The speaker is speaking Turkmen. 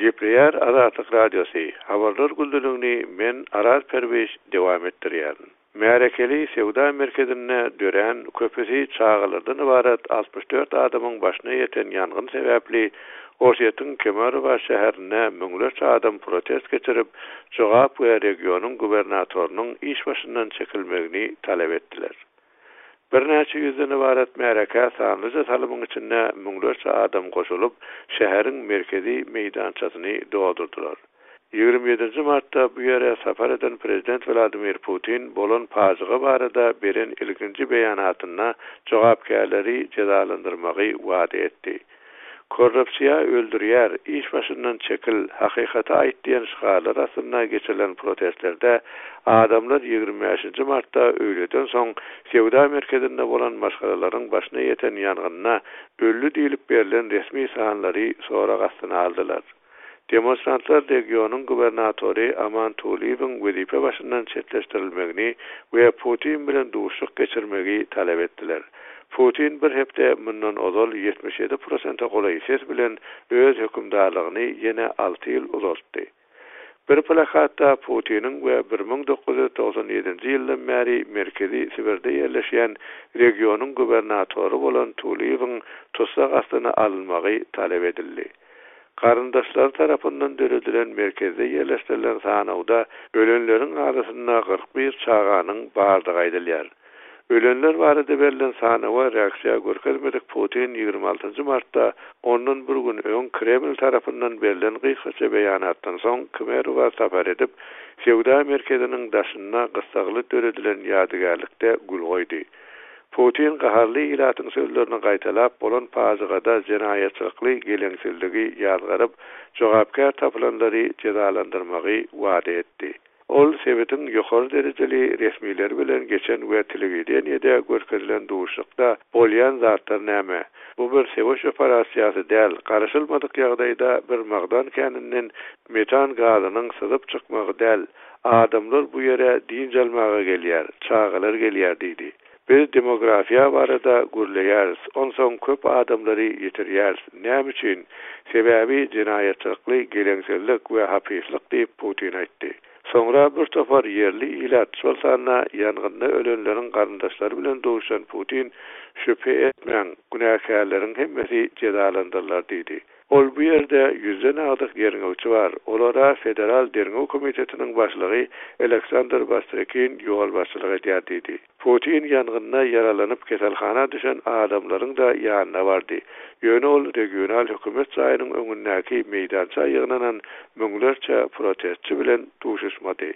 Gepleýär Azatlyk Radiosy, Habarlar gündeligini men Araz Perwiş dowam etdirýärin. Märekeli söwda merkezinde dörän, köpüsi çagalardan ybarat 64 adamyň başyna ýeten ýangyn sebäpli Orsýetiň Kemerowa şäherinde müňlerçe adam protest geçirip, jogap we regionyň gubernatorynyň iş başyndan çekilmegini talap etdiler. Birnäçe ýüzden ybarat märekä sanlyja salymyň içinde müňlerçe adam goşulyp, şäheriň merkezi meýdançasyny doldurdylar. 27-nji martda bu ýere sapar eden prezident Wladimir Putin bolan pajyga barada beren ilkinji beýanatynda jogapkärleri jezalandyrmagy wada etdi. Korrupsiýa öldürýär, iş başyndan çekil, hakykaty aýt diýen şygarlar astynda geçirilen protestlerde adamlar 25-nji martda öýleden soň söwda merkezinde bolan maşgalalaryň başyna ýeten ýangynda öldi diýlip berlen resmi sanlary sorag astyna aldylar. Demonstrantlar regionyň gubernatory Aman Tulyýewiň wezipe başyndan çetleşdirilmegini we Putin bilen duşuşyk geçirmegi talap etdiler. Putin bir hepde mundan ozal 77 prosente golaý ses bilen öz hökümdarlygyny ýene alty ýyl uzaltdy. Bir plakatda Putiniň we 1997-nji ýyldan bäri Merkezi Sibirde ýerleşýän regionyň gubernatory bolan Tulyýewiň tussag astyna alynmagy talap edildi. Garyndaşlary tarapyndan döredilen merkezde ýerleşdirilen sanawda ölenleriň arasynda 41 çaganyň bardygy aýdylýar. Ölenler barada berlen sanawa reaksiýa görkezmedik Putin 26-njy martda ondan bir gün öň Kreml tarapyndan berlen gysgaça beýanatdan soň Kemerowa sapar edip, söwda merkeziniň daşynda gyssagly döredilen ýadygärlikde gül goýdy. Putin gaharly ilatyň sözlerini gaýtalap, bolan pajygada jenaýatçylykly geleňsizligi ýazgaryp, jogapkär tapylanlary jezalandyrmagy wada etdi. Ol sebitiň ýokary derejeli resmileri bilen geçen we telewideniýede görkezilen duşuşykda Bolýan zatlar näme? Bu bir söweş operasiýasy däl, garaşylmadyk ýagdaýda bir magdan käninden metan gazynyň syzyp çykmagy däl, adamlar bu ýere dynç almaga gelýär, çagalar gelýär diýdi. Biz demografiýa barada gürleýäris, onsoň köp adamlary ýitirýäris. Näme üçin? Sebäbi jenaýatçylykly geleňsizlik we hapyslyk diýip, Putin aýtdy. Soňra bir topar ýerli ilat, şol sanda ýangynda ölenleriň garyndaşlary bilen duşan Putin, Şübhe etmäň, günäkärleriň hemmesi jezalandyrylar diýdi. Ol bu ýerde ýüzden agdyk derňewçi bar, olara Federal derňew komitetiniň başlygy Aleksandr Bastrykin ýolbaşçylyk edýär diýdi. Putin ýangynda ýaralanyp keselhana düşen adamlaryň-da ýanyna bardy. Ýöne ol regional hökümet jaýynyň öňündäki meýdança ýygnanan müňlerçe protestçi bilen duşuşmady.